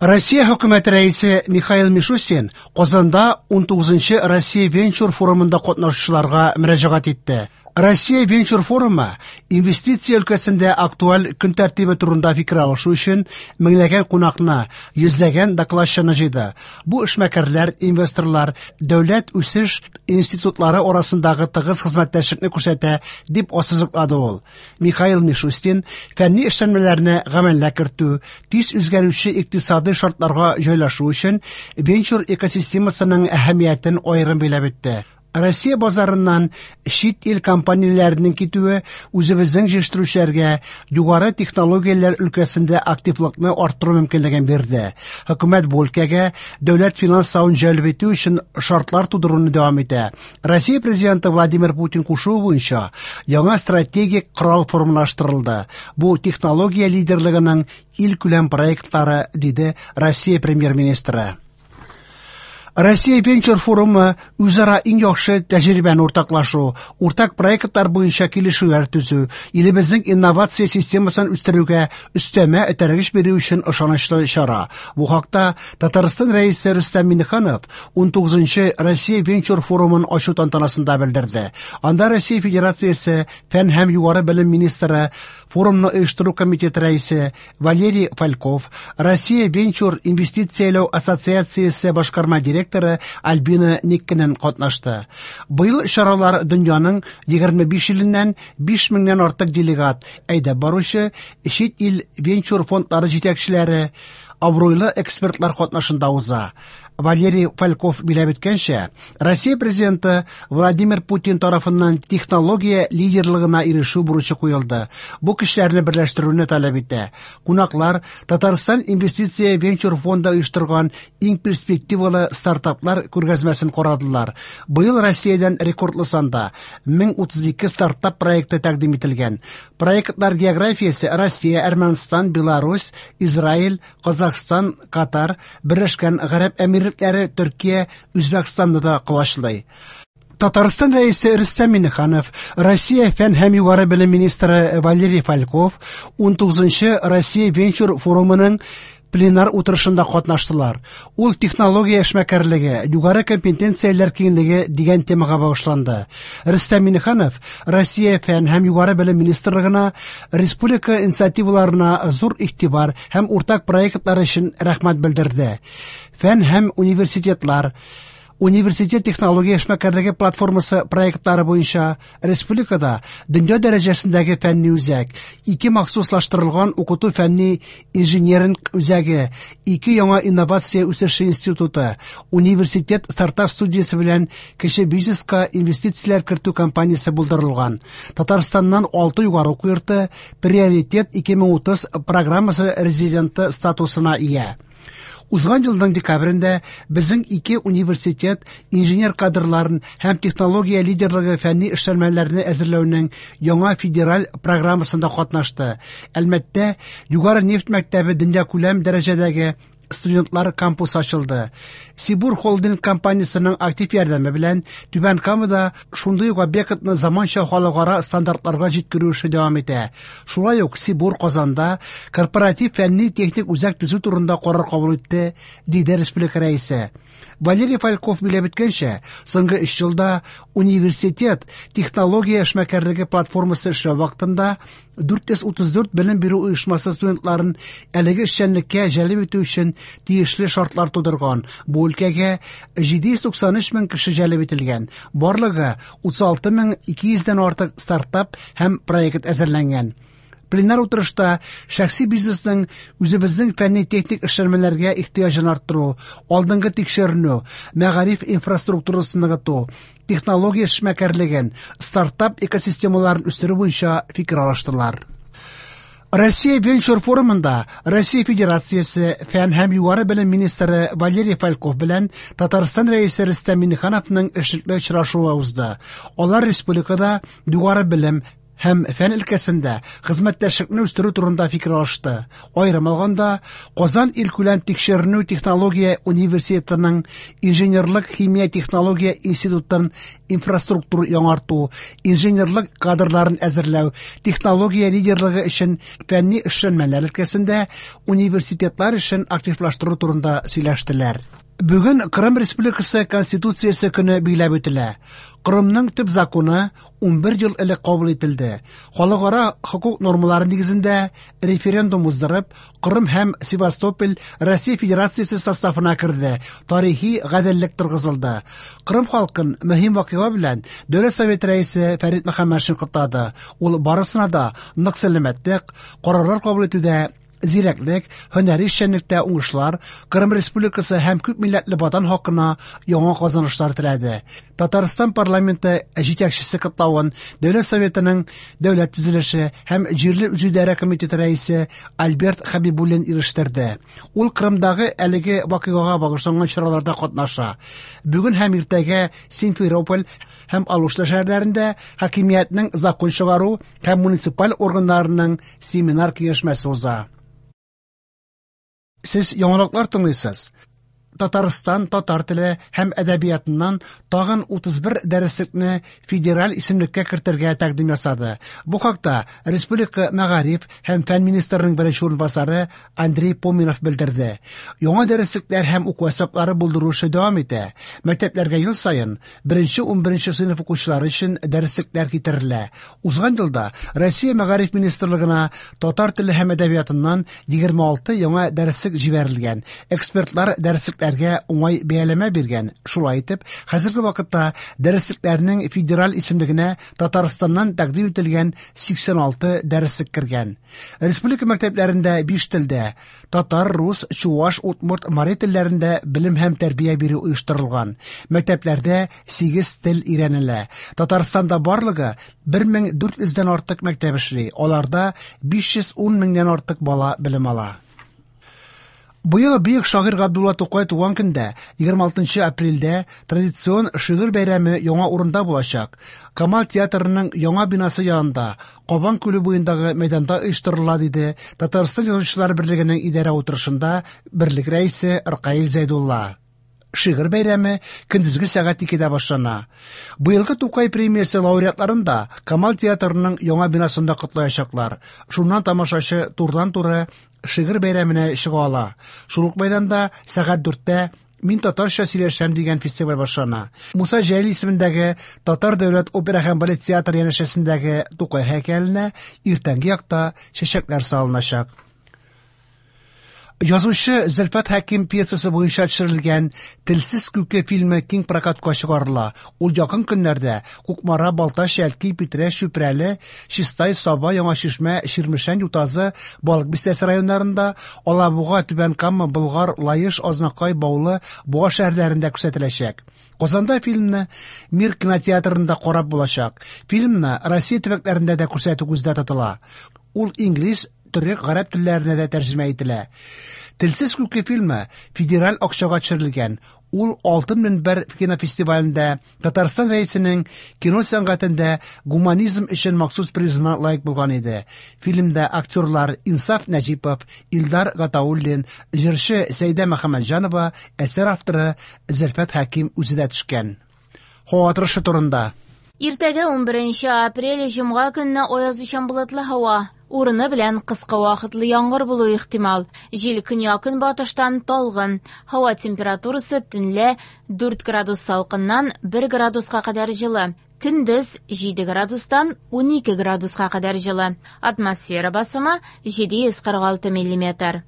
Россия хөкүмәте рәисе Михаил Мишустин Казанда 19-нчы Россия венчур форумында катнашучыларга мөрәҗәгать итте. Россия венчур форумы инвестиция өлкәсендә актуаль көн тәртибе турында фикер алышу өчен меңләгән кунакны, йөзләгән докладчыны җыйды. Бу эшмәкәрләр, инвесторлар, дәүләт үсеш институтлары арасындагы тыгыз хезмәттәшлекне күрсәтә, дип ассызыклады ул. Михаил Мишустин фәнни эшләнмәләрне гамәлгә кертү, тиз үзгәрүче икътисадый шартларга җайлашу өчен венчур экосистемасының әһәмиятен аерым билгеләп үтте. Россия базарыннан чит ил компанияләренең китүе үзебезнең җитештерүчеләргә югары технологияләр өлкәсендә активлыкны арттыру мөмкинлеген бирде. Хөкүмәт бу өлкәгә дәүләт финанславын җәлеп итү өчен шартлар тудыруны дәвам итә. Россия президенты Владимир Путин кушуы буенча яңа стратегик корал формалаштырылды. Бу технология лидерлыгының илкүләм проектлары, диде Россия премьер-министры. Россия венчур форумы үзара иң яхшы тәҗрибәне уртаклашу, уртак проектлар буенча килешүләр төзү, илебезнең инновация системасын үстерүгә өстәмә этәргеч бирү өчен ышанычлы чара. Бу хакта Татарстан Рәисе Рөстәм Миңнеханов 19-нчы Россия венчур форумын ачу тантанасында белдерде. Анда Россия Федерациясе фән һәм югары белем министры, форумны оештыру комитеты рәисе Валерий Фальков, Россия венчур инвестицияләү ассоциациясе башкарма директоры Альбина Никкинен катнашты. Быел чаралар дөньяның 25 иленнән 5 меңнән артык делегат, әйдәп баручы чит ил венчур фондлары җитәкчеләре, абруйлы экспертлар катнашында уза. Валерий Фальков билгеләп үткәнчә, Россия президенты Владимир Путин тарафыннан технология лидерлыгына ирешү бурычы куелды. Бу көчләрне берләштерүне таләп итә. Кунаклар Татарстан инвестиция венчур фонды оештырган иң перспективалы стартаплар күргәзмәсен карадылар. Быел Россиядән рекордлы санда 1032 стартап проекты тәкъдим ителгән. Проектлар географиясе Россия, Әрмәнстан, Беларусь, Израиль, Казахстан, Катар, Берләшкән Гарәп Әмирлекләре, Төркия, Үзбәкстанны да колачлый. Татарстан Рәисе Рөстәм Миңнеханов, Россия фән һәм югары белем министры Валерий Фальков 19-нчы Россия венчур форумының пленар утырышында катнаштылар. Ул технология эшмәкәрлеге, югары компетенцияләр киңлеге дигән темага багышланды. Рөстәм Миңнеханов Россия фән һәм югары белем министрлыгына республика инициативаларына зур игътибар һәм уртак проектлар өчен рәхмәт белдерде. Фән һәм университетлар Университет технология эшмәкәрлеге платформасы проектлары буенча республикада дөнья дәрәҗәсендәге фәнни үзәк, ике махсуслаштырылган укыту фәнни инжиниринг үзәге, ике яңа инновация үсеше институты, университет стартап студиясе белән кече бизнеска инвестицияләр кертү компаниясе булдырылган. Татарстаннан 6 югары уку йорты Приоритет 2030 программасы резиденты статусына ия. Узган елның декабрендә безнең ике университет инженер кадрларын һәм технология лидерлыгы фәнни эшләнмәләрне әзерләүнең яңа федераль программасында катнашты. Әлмәттә Югары нефть мәктәбе дөньякүләм дәрәҗәдәге студентлар кампусы ачылды. Сибур холдинг компаниясының актив ярдәме белән Түбән Камада шундый ук объектны заманча халыкара стандартларга җиткерү эше дәвам итә. Шулай ук Сибур Казанда корпоратив фәнни-техник үзәк төзү турында карар кабул итте, диде республика рәисе. Валерий Фальков билгеләп үткәнчә, соңгы 3 елда университет технология эшмәкәрлеге платформасы эшләү вакытында 434 белем бирү оешмасы студентларын әлеге эшчәнлеккә җәлеп итү өчен тиешле шартлар тудырган. Бу өлкәгә 793 мең кеше җәлеп ителгән. Барлыгы 36 200-дән артык стартап һәм проект әзерләнгән. Пленар утырышта шәхси бизнесның үзебезнең фәнни-техник эшләнмәләргә ихтыяҗын арттыру, алдынгы тикшеренү, мәгариф инфраструктурасын ныгыту, технология эшмәкәрлеген, стартап экосистемаларын үстерү буенча фикер алыштылар. Россия венчур форумында Россия Федерациясе фән һәм югары белем министры Валерий Фальков белән Татарстан Рәисе Рөстәм Миңнехановның эшлекле очрашуы узды. Алар республикада югары белем һәм фән өлкәсендә хезмәттәшлекне үстерү турында фикер алышты. Аерым алганда, Казан илкүләм тикшеренү технология университетының инженерлык химия технология институтын инфраструктур яңарту, инженерлык кадрларын әзерләү, технология лидерлыгы өчен фәнни эшләнмәләр өлкәсендә университетлар эшен активлаштыру турында сөйләштеләр. Бүген Кырым Республикасы Конституциясе көне билгеләп үтелә. Кырымның төп законы 11 ел элек кабул ителде. Халыкара хокук нормалары нигезендә референдум уздырып, Кырым һәм Севастополь Россия Федерациясе составына керде, тарихи гаделлек торгызылды. Кырым халкын мөһим вакыйга белән Дәүләт Советы рәисе Фәрит Мөхәммәтшин котлады. Ул барысына да нык сәламәтлек, карарлар кабул итүдә зирәклек, һөнәри эшчәнлектә уңышлар, Кырым Республикасы һәм күп милләтле ватан хакына яңа казанышлар теләде. Татарстан парламенты җитәкчесе котлавын Дәүләт Советының Дәүләт төзелеше һәм җирле үзидарә комитеты рәисе Альберт Хәбибуллин ирештерде. Ул Кырымдагы әлеге вакыйгага багышланган чараларда катнаша. Бүген һәм иртәгә Симферополь һәм Алушта шәһәрләрендә хакимиятнең закон чыгару һәм муниципаль органнарының семинар киңәшмәсе уза. Сез яңалыклар тыңлыйсыз. Татарстан татар теле һәм әдәбиятыннан тагын 31 дәреслекне федераль исемлеккә кертергә тәкъдим ясады. Бу хакта Республика мәгариф һәм фән министрының беренче урынбасары Андрей Поминов белдерде. Яңа дәреслекләр һәм уку әсбаплары булдыру эше дәвам итә. Мәктәпләргә ел саен беренче 11 сыйныф укучылары өчен дәреслекләр китерелә. Узган елда Россия мәгариф министрлыгына татар теле һәм әдәбиятыннан 26 яңа дәреслек җибәрелгән. Экспертлар дәреслекләргә уңай бәяләмә биргән. Шулай итеп, хәзерге вакытта дәреслекләрнең федераль исемлегенә Татарстаннан тәкъдим ителгән 86 дәреслек кергән. Республика мәктәпләрендә 5 телдә татар, рус, чуаш, удмурт, мари телләрендә белем һәм тәрбия бирү оештырылган. Мәктәпләрдә 8 тел өйрәнелә. Татарстанда барлыгы 1400дән артык мәктәп эшли. Аларда 510 меңнән артык бала белем ала. Быел бөек шагыйрь Габдулла Тукай туган көндә, 26 апрельдә традицион шигырь бәйрәме яңа урында булачак. Камал театрының яңа бинасы янында, Кабан күле буендагы мәйданда оештырыла, диде Татарстан Язучылар берлегенең идарә утырышында берлек рәисе Ркаил Зәйдулла. Шигырь бәйрәме көндезге сәгать 2-дә башлана. Быелгы Тукай премиясе лауреатларын да Камал театрының яңа бинасында котлаячаклар. Шуннан тамашачы турыдан-туры шигырь бәйрәменә чыга ала. Шул ук мәйданда сәгать 4-тә Мин татарча сөйләшәм дигән фестиваль башлана. Муса Җәлил исемендәге Татар дәүләт опера һәм балет театры янәшәсендәге Тукай һәйкәленә иртәнге якта чәчәкләр салыначак. Язучы Зөлфәт Хәким пьесасы буенча төшерелгән Телсез күке фильмы киң прокатка чыгарыла. Ул якын көннәрдә Кукмара, Балтач, Әлки, Питрәч, Чүпрәле, Чистай, Саба, Яңа Чишмә, Чирмешән, Ютазы, Балык Бистәсе районнарында, Алабуга, Түбән Кама, Болгар, Лаеш, Азнакай, Баулы, Буа шәһәрләрендә күрсәтеләчәк. Казанда фильмны Мир кинотеатрында карап булачак. Фильмны Россия төбәкләрендә дә күрсәтү күздә тотыла. Ул инглиз, төрек, гарәп телләренә дә тәрҗемә ителә. Телсез күке фильмы федераль акчага төшерелгән. Ул Алтын мөнбәр кинофестивалендә Татарстан рәисенең кино сәнгатендә гуманизм өчен махсус призына лаек булган иде. Фильмда актерлар Инсаф Нәҗипов, Илдар Гатауллин, җырчы Сәйдә Мөхәммәтҗанова, әсәр авторы Зөлфәт Хәким үзе дә төшкән. Һава торышы турында. Иртәгә 11 апрель җомга көнне аязучан болытлы һава. Урыны белән кыска вакытлы яңгыр булу ихтимал. Җил көньяк-көнбатыштан талгын. Һава температурасы төнлә 4 градус салкыннан 1 градуска кадәр җылы. Көндез 7 градустан 12 градуска кадәр җылы. Атмосфера басымы 746 миллиметр.